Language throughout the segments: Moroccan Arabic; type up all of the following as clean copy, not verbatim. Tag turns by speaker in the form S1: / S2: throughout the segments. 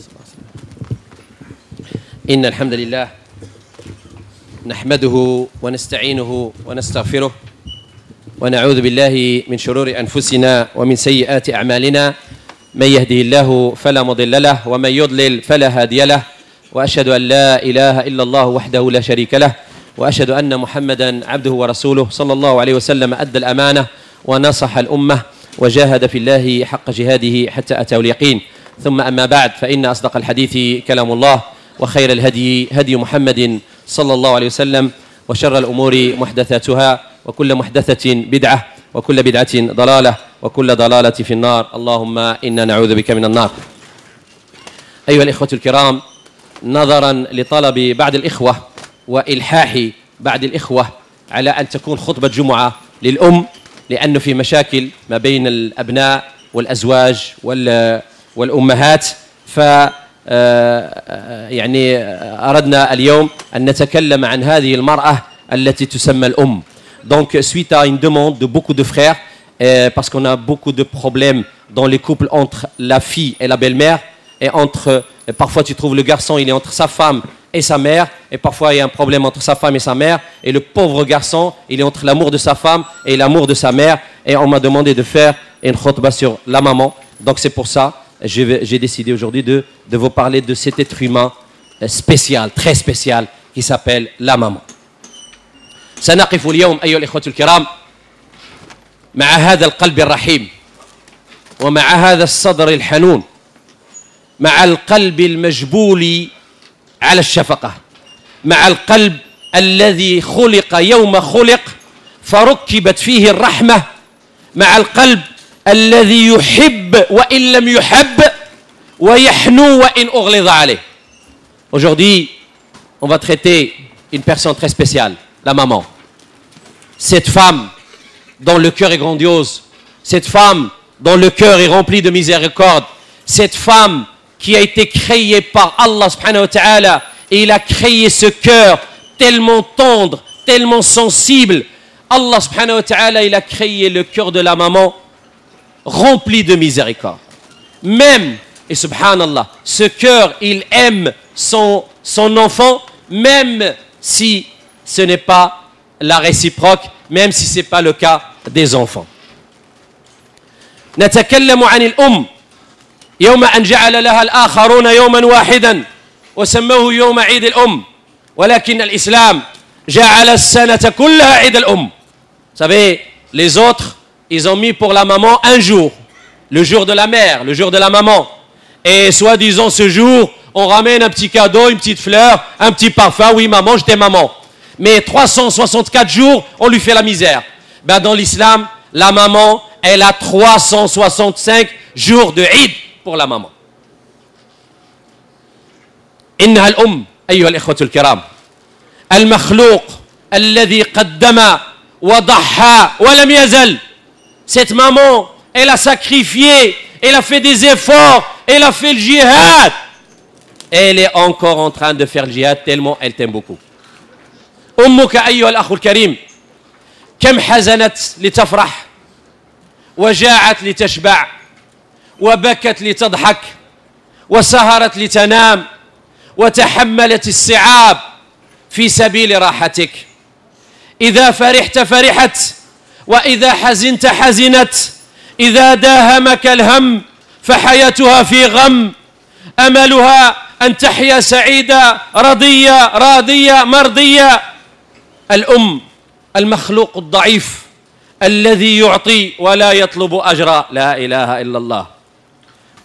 S1: صلى الله عليه وسلم. إن الحمد لله نحمده ونستعينه ونستغفره ونعوذ بالله من شرور أنفسنا ومن سيئات أعمالنا، من يهده الله فلا مضل له ومن يضلل فلا هادي له، وأشهد أن لا إله إلا الله وحده لا شريك له، وأشهد أن محمدا عبده ورسوله صلى الله عليه وسلم، أدى الأمانة ونصح الأمة وجاهد في الله حق جهاده حتى أتاه اليقين. ثم أما بعد، فإن أصدق الحديث كلام الله، وخير الهدي هدي محمد صلى الله عليه وسلم، وشر الأمور محدثاتها، وكل محدثة بدعة، وكل بدعة ضلالة، وكل ضلالة في النار. اللهم إنا نعوذ بك من النار. أيها الإخوة الكرام، نظرا لطلب بعض الإخوة وإلحاح بعض الإخوة على أن تكون خطبة جمعة للأم، لأنه في مشاكل ما بين الأبناء والأزواج والأمهات، ف يعني أردنا اليوم أن نتكلم عن هذه المرأة التي تسمى الأم. Donc suite à une demande de beaucoup de frères, parce qu'on a beaucoup de problèmes dans les couples entre la fille et la belle-mère, et entre, parfois tu trouves le garçon, il est entre sa femme et sa mère, et parfois il y a un problème entre sa femme et sa mère, et le pauvre garçon, il est entre l'amour de sa femme et l'amour de sa mère, et on m'a demandé de faire une خطبة sur la maman. Donc c'est pour ça j'ai décidé aujourd'hui de vous parler de cet être humain spécial, très spécial, qui s'appelle la maman. سنقف اليوم أيها الإخوة الكرام مع هذا القلب الرحيم، ومع هذا الصدر الحنون، مع القلب المجبول على الشفقة، مع القلب الذي خلق يوم خلق فركبت فيه الرحمة، مع القلب الذي يحب وإن لم يحب ويحنو وإن أغلظ عليه. Aujourd'hui, on va traiter une personne très spéciale, la maman. Cette femme dont le cœur est grandiose, cette femme dont le cœur est rempli de miséricorde, cette femme qui a été créée par Allah سبحانه وتعالى, et il a créé ce cœur tellement tendre, tellement sensible. Allah سبحانه وتعالى, il a créé le cœur de la maman rempli de miséricorde. Même, et سبحان الله, ce cœur, il aime son enfant, même si ce n'est pas la réciproque, même si ce n'est pas le cas des enfants. نتكلم عن الأم يوم أن جعل لها الآخرون يوما واحدا وسموه يوم عيد الأم، ولكن الإسلام جعل السنة كلها عيد الأم. Vous savez, les autres, ils ont mis pour la maman un jour, le jour de la mère, le jour de la maman. Et soi-disant ce jour, on ramène un petit cadeau, une petite fleur, un petit parfum. Oui, maman, je t'aime, maman. Mais 364 jours, on lui fait la misère. Ben, dans l'islam, la maman, elle a 365 jours de عيد pour la maman. إنها الأم أيها الإخوة الكرام، المخلوق الذي قدم وضحى ولم يزل. Cette maman, elle a sacrifié, elle a fait des efforts, elle a fait le jihad. Elle est encore en train de faire le jihad tellement elle t'aime beaucoup. أمك أيها الأخ الكريم، كم حزنت لتفرح، وجاعت لتشبع، وبكت لتضحك، وسهرت لتنام، وتحملت الصعاب في سبيل راحتك. إذا فرحت فرحت، وإذا حزنت حزنت، إذا داهمك الهم فحياتها في غم، أملها أن تحيا سعيدة رضية راضية مرضية. الأم المخلوق الضعيف الذي يعطي ولا يطلب أجرا، لا إله إلا الله،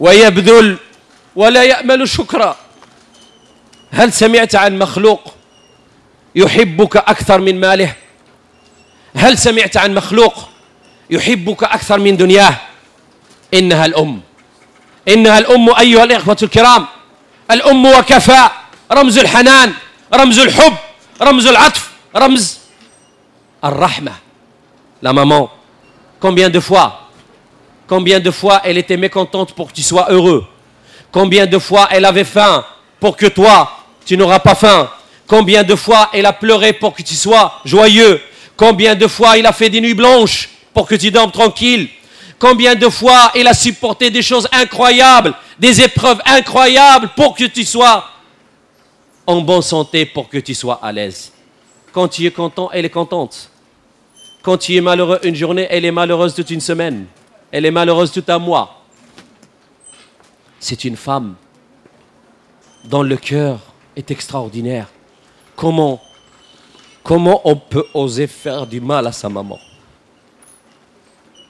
S1: ويبذل ولا يأمل شكرا. هل سمعت عن مخلوق يحبك أكثر من ماله؟ هل سمعت عن مخلوق يحبك أكثر من دنياه؟ إنها الأم، إنها الأم أيها الإخوة الكرام. الأم وكفى، رمز الحنان، رمز الحب، رمز العطف، رمز الرحمة. La maman, combien de fois elle était mécontente pour que tu sois heureux? Combien de fois elle avait faim pour que toi, tu n'auras pas faim? Combien de fois elle a pleuré pour que tu sois joyeux? Combien de fois il a fait des nuits blanches pour que tu dormes tranquille? Combien de fois elle a supporté des choses incroyables, des épreuves incroyables pour que tu sois en bonne santé, pour que tu sois à l'aise. Quand tu es content, elle est contente. Quand tu es malheureux une journée, elle est malheureuse toute une semaine. Elle est malheureuse tout un mois. C'est une femme dont le cœur est extraordinaire. Comment on peut oser faire du mal à sa maman?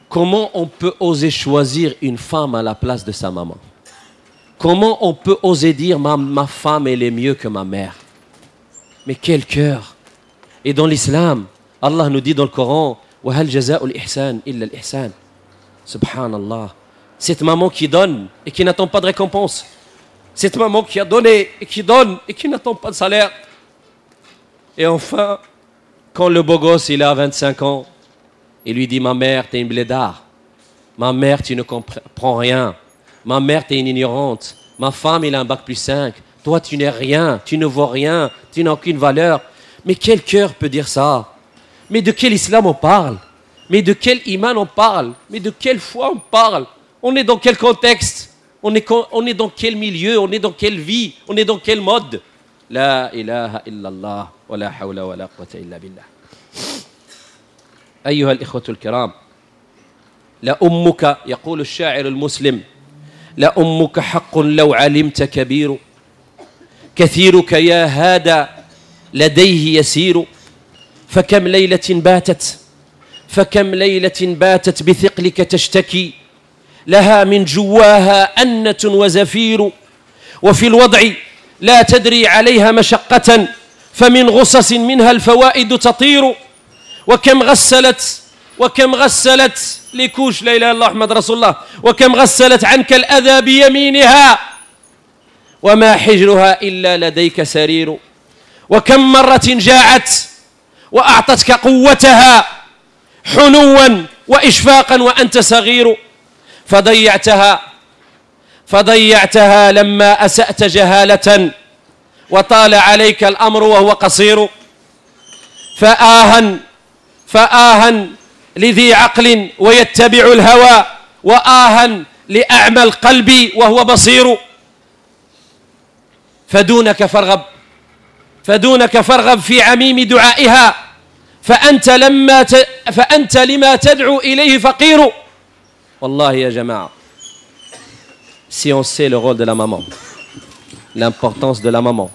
S1: Comment on peut oser choisir une femme à la place de sa maman? Comment on peut oser dire ma femme, elle est mieux que ma mère? Mais quel cœur! Et dans l'islam, Allah nous dit dans le Coran, وَهَلْ جَزَاءُ الْإِحْسَانِ إِلَّا الْإِحْسَانِ. Subhanallah. Cette maman qui donne et qui n'attend pas de récompense. Cette maman qui a donné et qui donne et qui n'attend pas de salaire. Et enfin, quand le beau gosse, il a 25 ans, il lui dit, ma mère, t'es une blédard. Ma mère, tu ne comprends rien. Ma mère, t'es une ignorante. Ma femme, il a un bac plus 5. Toi, tu n'es rien, tu ne vaux rien, tu n'as aucune valeur. Mais quel cœur peut dire ça? Mais de quel islam on parle? Mais de quel iman on parle? Mais de quelle foi on parle? On est dans quel contexte? On est dans quel milieu? On est dans quelle vie? On est dans quel mode? La ilaha illallah wa la hawla wa la quwwata illa billah. أيها الإخوة الكرام، لأمك، يقول الشاعر المسلم، لأمك حق لو علمت كبير، كثيرك يا هذا لديه يسير، فكم ليلة باتت، فكم ليلة باتت بثقلك تشتكي، لها من جواها أنة وزفير، وفي الوضع لا تدري عليها مشقة، فمن غصص منها الفوائد تطير، وكم غسلت لكوش لا إله إلا الله محمد رسول الله، وكم غسلت عنك الأذى بيمينها، وما حجرها إلا لديك سرير، وكم مرة جاعت وأعطتك قوتها حنوا وإشفاقا وأنت صغير، فضيعتها لما أسأت جهالة، وطال عليك الأمر وهو قصير، فآها لذي عقل ويتبع الهوى، وآها لأعمى القلب وهو بصير، فدونك فارغب في عميم دعائها، فأنت لما تدعو إليه فقير. والله يا جماعة, si on sait le rôle de la maman, l'importance de la maman,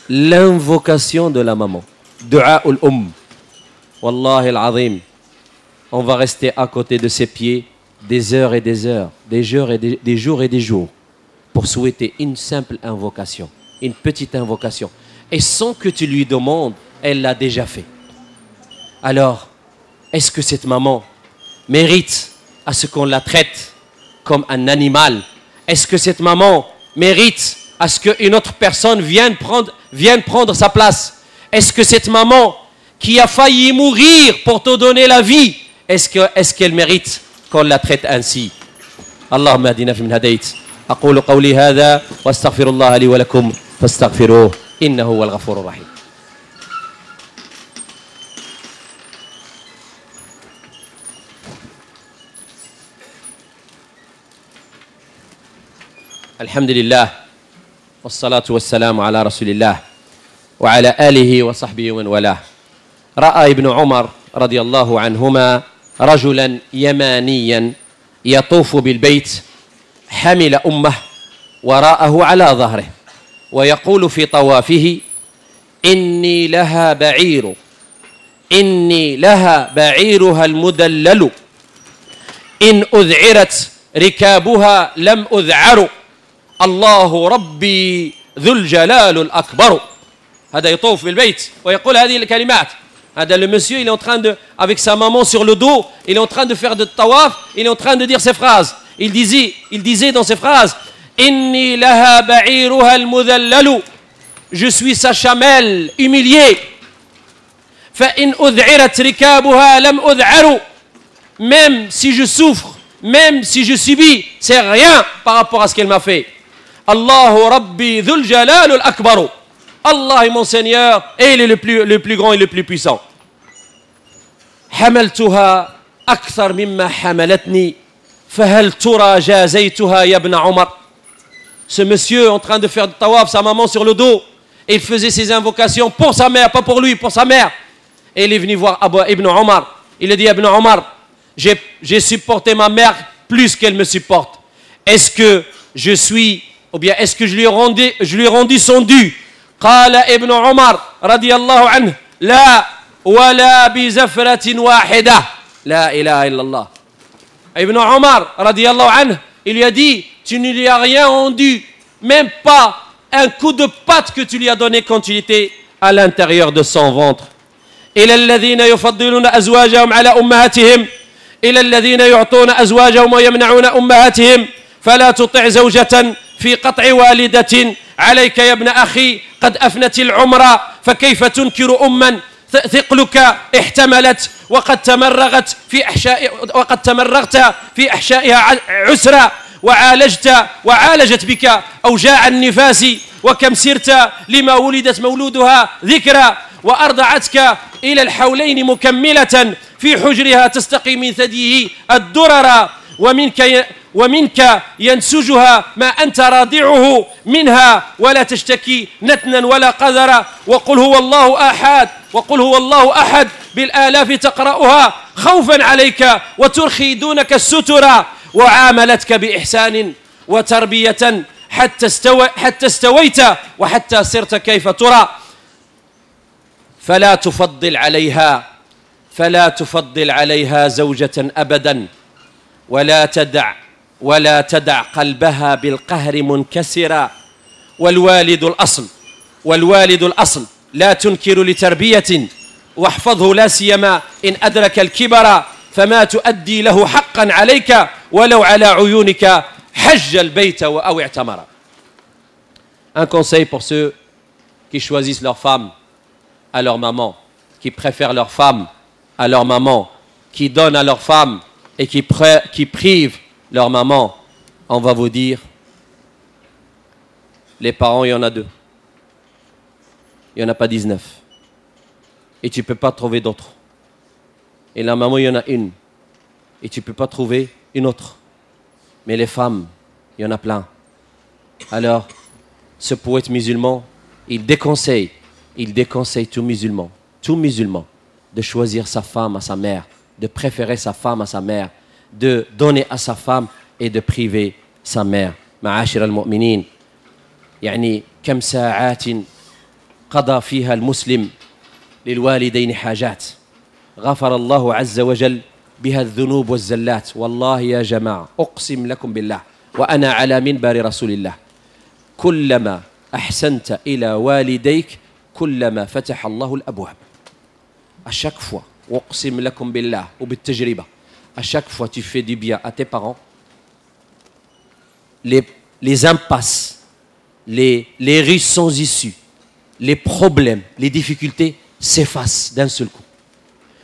S1: l'invocation de la maman, دعاء الأم, والله العظيم, on va rester à côté de ses pieds des heures et des heures, des jours et des jours et des jours, pour souhaiter une simple invocation, une petite invocation. Et sans que tu lui demandes, elle l'a déjà fait. Alors, est-ce que cette maman mérite à ce qu'on la traite comme un animal? Est-ce que cette maman mérite à ce qu'une autre personne vienne prendre sa place? Est-ce que cette maman qui a failli mourir pour te donner la vie, est-ce qu'elle mérite qu'on la traite ainsi? اللهم اهدنا فيمن هديت. أقول قولي هذا واستغفر الله لي ولكم فاستغفروه إنه هو الغفور الرحيم. الحمد لله والصلاة والسلام على رسول الله وعلى آله وصحبه ومن والاه. رأى ابن عمر رضي الله عنهما رجلا يمانيا يطوف بالبيت حمل أمه وراءه على ظهره ويقول في طوافه: إني لها بعير، إني لها بعيرها المدلل، إن أذعرت ركابها لم أذعر، الله ربي ذو الجلال الأكبر. هذا يطوف بالبيت ويقول هذه الكلمات. هذا le monsieur, il est en train de, avec sa maman sur le dos, il est en train de faire de tawaf, il est en train de dire ces phrases. Il disait dans ces phrases: Inni laha ba'iruha al-mudhallalu, je suis sa chamelle humiliée. Fa in ud'irat rikabuha lam ud'aru, même si je souffre, même si je subis, c'est rien par rapport à ce qu'elle m'a fait. Allahu Rabbi dhul jalal al-akbar. Allah est mon Seigneur et il est le plus grand et le plus puissant. حملتها أكثر مما حملتني فهل ترى جازيتها يا ابن عمر؟ Ce monsieur en train de faire du طواف, sa maman sur le dos, et il faisait ses invocations pour sa mère, pas pour lui, pour sa mère. Et il est venu voir Abu Ibn Omar. Il a dit: Ibn Omar, j'ai supporté ma mère plus qu'elle me supporte. Est-ce que je suis, ou bien est-ce que je lui ai rendu son dû? قال ابن عمر رضي الله عنه لا ولا بزفرة واحدة. لا إله إلا الله. Ibn Omar رضي الله عنه, il lui a dit: tu ne lui as rien rendu, même pas un coup de patte que tu lui as donné quand tu étais à l'intérieur de son ventre. إلى الذين يفضلون أزواجهم على أمهاتهم، إلى الذين يعطون أزواجهم ويمنعون أمهاتهم، فلا تطع زوجة في قطع والدة. عليك يا ابن أخي قد أفنت العمر، فكيف تنكر أما ثقلك احتملت وقد تمرغت في أحشائها عسرا، وعالجت بك أوجاع النفاس، وكم سرت لما ولدت مولودها ذكرى، وأرضعتك إلى الحولين مكملة في حجرها تستقي من ثديه الدرر، ومنك ينسجها ما أنت راضعه منها، ولا تشتكي نتنا ولا قذرا. وقل هو الله أحد، وقل هو الله أحد بالآلاف تقرأها خوفا عليك وترخي دونك السترا، وعاملتك بإحسان وتربية حتى استويت وحتى صرت كيف ترى. فلا تفضل عليها زوجة أبدا، ولا تدع قلبها بالقهر منكسرا. والوالد الأصل، والوالد الأصل لا تنكر لتربية، واحفظه لا سيما إن أدرك الكبر، فما تؤدي له حقا عليك ولو على عيونك حج البيت أو اعتمر. Un conseil pour ceux qui choisissent leur femme à leur maman, qui préfèrent leur femme à leur maman, qui donnent à leur femme et qui privent leur maman. On va vous dire: les parents, il y en a deux. Il n'y en a pas 19. Et tu ne peux pas trouver d'autres. Et la maman, il y en a une. Et tu ne peux pas trouver une autre. Mais les femmes, il y en a plein. Alors, ce poète musulman, il déconseille tout musulman de choisir sa femme à sa mère, de préférer sa femme à sa mère, de donner à sa femme et de priver sa mère. معاشر المؤمنين، يعني كم ساعات قضى فيها المسلم للوالدين حاجات غفر الله عز وجل بها الذنوب والزلات. والله يا جماعة، أقسم لكم بالله وأنا على منبر رسول الله، كلما أحسنت إلى والديك كلما فتح الله الأبواب. À chaque fois, أقسم لكم بالله وبالتجربة, à chaque fois tu fais du bien à tes parents, les impasses, les rues sans issue, les problèmes, les difficultés s'effacent d'un seul coup.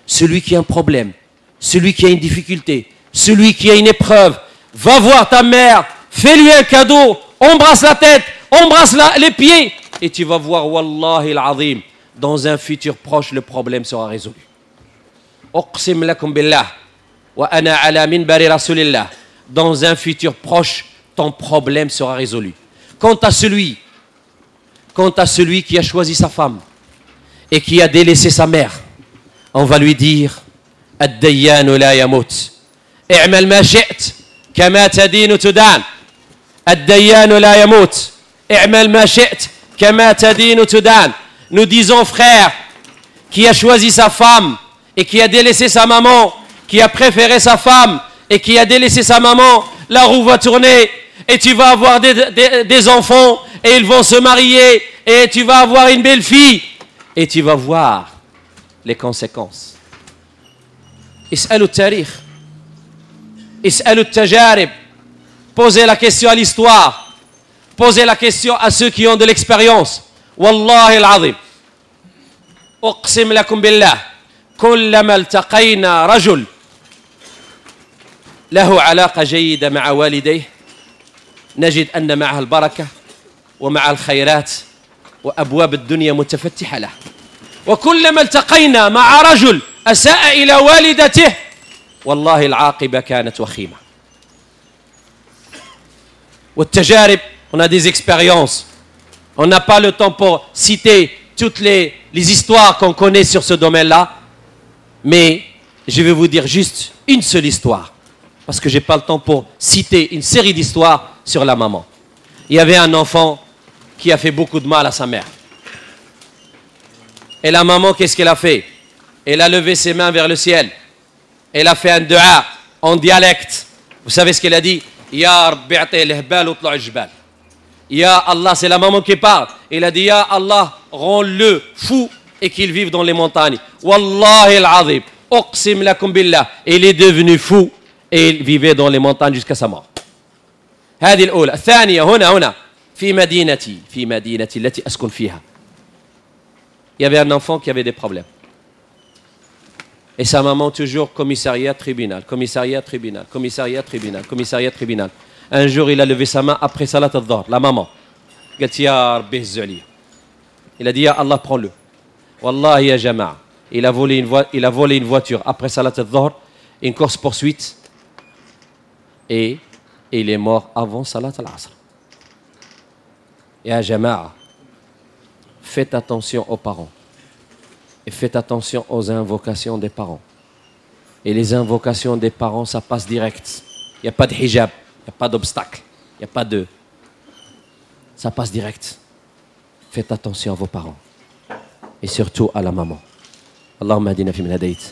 S1: Celui qui a un problème, celui qui a une difficulté, celui qui a une épreuve, va voir ta mère, fais-lui un cadeau, embrasse la tête, embrasse les pieds, et tu vas voir, والله العظيم, dans un futur proche, le problème sera résolu. أقسم لكم بالله وأنا على منبر رسول الله, dans un futur proche, ton problème sera résolu. Quant à celui qui a choisi sa femme et qui a délaissé sa mère, on va lui dire: الديان لا يموت، اعمل ما شئت كما تدين تدان. الديان لا يموت، اعمل ما شئت كما تدين تدان. Nous disons: frère qui a choisi sa femme et qui a délaissé sa maman, qui a préféré sa femme et qui a délaissé sa maman, la roue va tourner et tu vas avoir des enfants et ils vont se marier et tu vas avoir une belle fille et tu vas voir les conséquences. اسألوا التاريخ، اسألوا التجارب. Posez la question à l'histoire, posez la question à ceux qui ont de l'expérience. والله العظيم، أقسم لكم بالله، كلما التقينا رجل له علاقة جيدة مع والديه نجد أن معه البركة ومع الخيرات وأبواب الدنيا متفتحة له، وكلما التقينا مع رجل أساء إلى والدته والله العاقبة كانت وخيمة. والتجارب, on a des expériences. On n'a pas le temps pour citer toutes les histoires qu'on connaît sur ce domaine-là, mais je vais vous dire juste une seule histoire, parce que je n'ai pas le temps pour citer une série d'histoires sur la maman. Il y avait un enfant qui a fait beaucoup de mal à sa mère. Et la maman, qu'est-ce qu'elle a fait? Elle a levé ses mains vers le ciel. Elle a fait un dua en dialecte. Vous savez ce qu'elle a dit? Ya Rabbi a'ti l'hbal ou tla' al-jbal. Ya Allah, c'est la maman qui parle. Il a dit, Ya Allah, rends-le fou et qu'il vive dans les montagnes. Wallahi al-azim, uqsim lakum billah. Il est devenu fou et il vivait dans les montagnes jusqu'à sa mort. هذه الأولى. الثانية هنا هنا في مدينتي في مدينتي التي أسكن فيها. Il y avait un enfant qui avait des problèmes. Et sa maman toujours commissariat, tribunal, commissariat, tribunal, commissariat, tribunal, commissariat, tribunal. Un jour, il a levé sa main après salat al-Dhuhr, la maman. قالت يا ربي هزو عليا. Il a dit, Ya Allah, prends-le. Wallahi ya jama'a. Il a volé une voiture après salat al-Dhuhr, une course-poursuite, et il est mort avant salat al-Asr. Ya jama'a, faites attention aux parents. Et faites attention aux invocations des parents. Et les invocations des parents, ça passe direct. Il n'y a pas de hijab, il n'y a pas d'obstacle, il n'y a pas de... Ça passe direct. Faites attention à vos parents. Et surtout à la maman. اللهم اهدنا فيمن هديت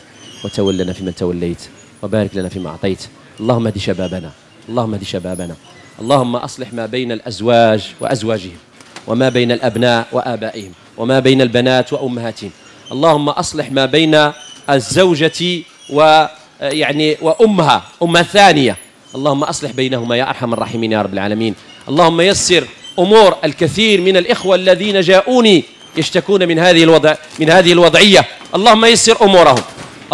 S1: وتولنا فيمن توليت وبارك لنا فيما أعطيت. اللهم اهد شبابنا، اللهم اهد شبابنا. اللهم أصلح ما بين الأزواج وأزواجهم، وما بين الأبناء وآبائهم، وما بين البنات وأمهاتهم. اللهم أصلح ما بين الزوجة ويعني وأمها، أمها الثانية. اللهم أصلح بينهما يا أرحم الراحمين يا رب العالمين. اللهم يسر أمور الكثير من الإخوة الذين جاءوني يشتكون من هذه الوضع، من هذه الوضعية. اللهم يسر أمورهم،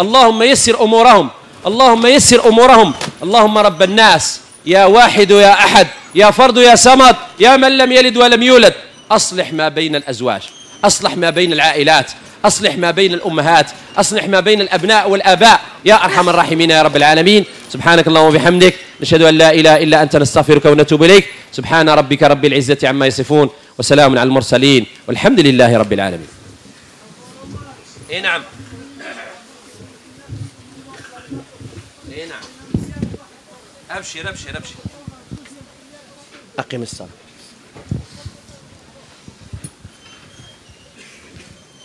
S1: اللهم يسر أمورهم، اللهم يسر أمورهم. اللهم رب الناس، يا واحد يا أحد، يا فرد يا صمد، يا من لم يلد ولم يولد، أصلح ما بين الأزواج، أصلح ما بين العائلات، أصلح ما بين الأمهات، أصلح ما بين الأبناء والآباء يا أرحم الراحمين يا رب العالمين. سبحانك اللهم وبحمدك، نشهد أن لا إله إلا أنت، نستغفرك ونتوب إليك. سبحان ربك رب العزة عما يصفون، وسلام على المرسلين، والحمد لله رب العالمين. إيه نعم، إيه نعم، أبشر أبشر أبشر. أقم الصلاة.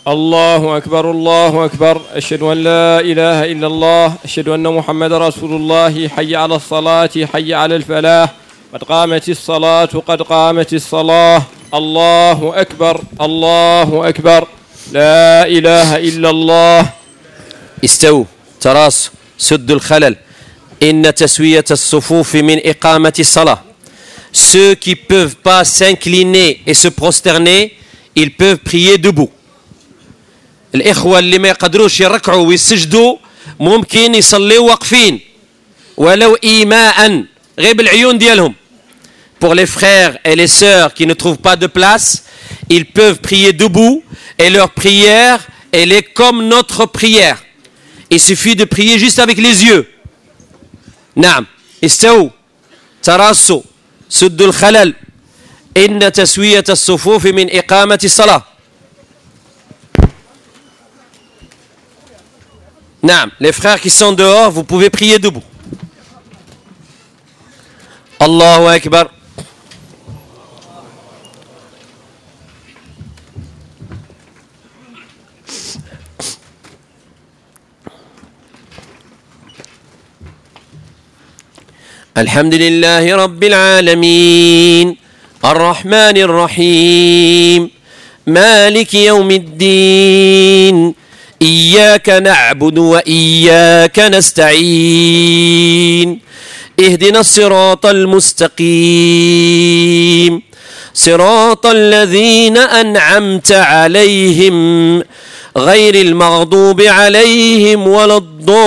S2: الله أكبر الله أكبر، أشهد أن لا إله إلا الله، أشهد أن محمد رسول الله، حي على الصلاة حي على الفلاح، قد قامت الصلاة قد قامت الصلاة، الله أكبر الله أكبر، لا إله إلا الله.
S1: استووا، تراصوا، سدوا الخلل. إن تسوية الصفوف من إقامة الصلاة. Ceux qui peuvent pas s'incliner et se prosterner, ils peuvent prier debout. الإخوة اللي ما يقدروش يركعوا ويسجدوا ممكن يصليوا واقفين ولو إيماء غير بالعيون ديالهم. Pour les frères et les sœurs qui ne trouvent pas de place, ils peuvent prier debout et leur prière, elle est comme notre prière. Il suffit de prier juste avec les yeux. نعم، استووا، تراصوا، سدوا الخلل. إن تسوية الصفوف من إقامة الصلاة. نعم, les frères qui sont dehors, vous pouvez prier debout. الله أكبر. الحمد لله رب العالمين، الرحمن الرحيم، مالك يوم الدين، إياك نعبد وإياك نستعين، اهدنا الصراط المستقيم، صراط الذين أنعمت عليهم، غير المغضوب عليهم ولا الضالين،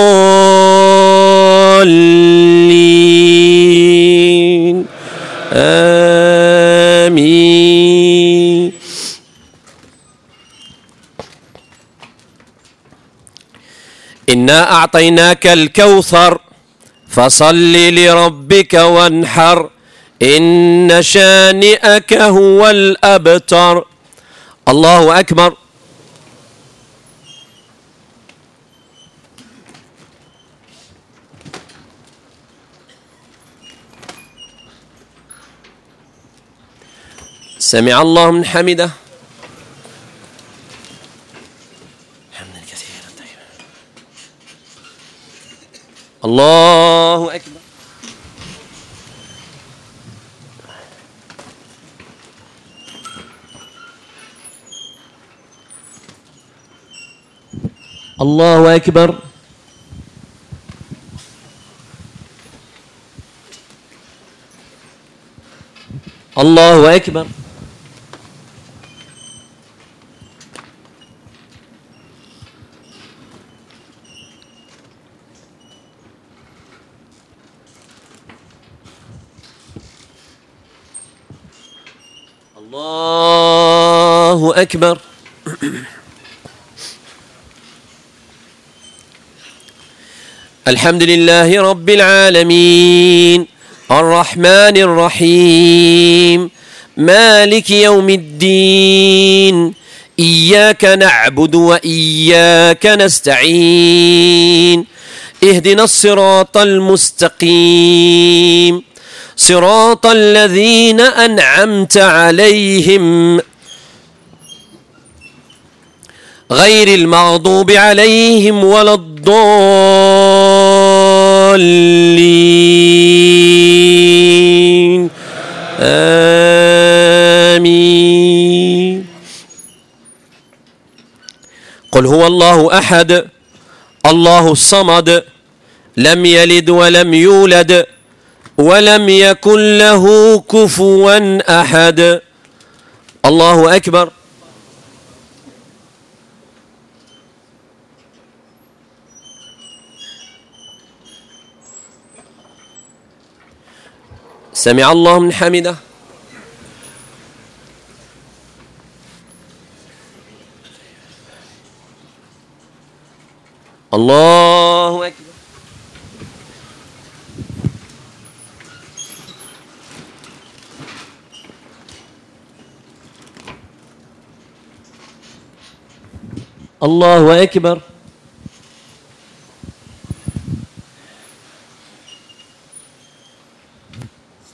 S1: آمين. إنا أعطيناك الكوثر فصل لربك وانحر، إن شانئك هو الأبتر. الله أكبر. سمع الله من حمده. حمدا كثيرا طيبا. الله أكبر. الله أكبر. الله أكبر. الله أكبر. الحمد لله رب العالمين الرحمن الرحيم مالك يوم الدين إياك نعبد وإياك نستعين اهدنا الصراط المستقيم صراط الذين أنعمت عليهم غير المغضوب عليهم ولا الضالين. آمين. قل هو الله أحد الله الصمد لم يلد ولم يولد ولم يكن له كفوا أحد. الله أكبر. سمع الله من حمده. الله أكبر. الله أكبر.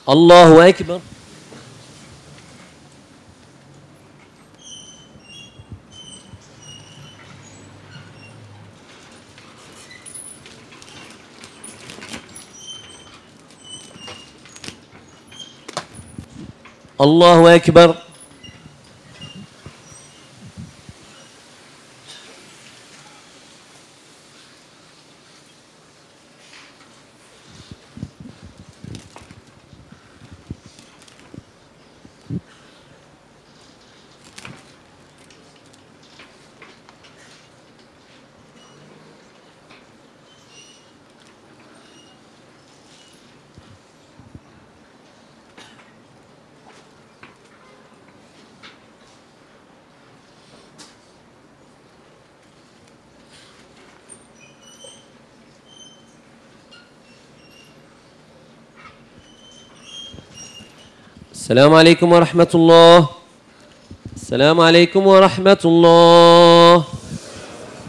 S1: الله أكبر. الله أكبر. السلام عليكم ورحمة الله. السلام عليكم ورحمة الله.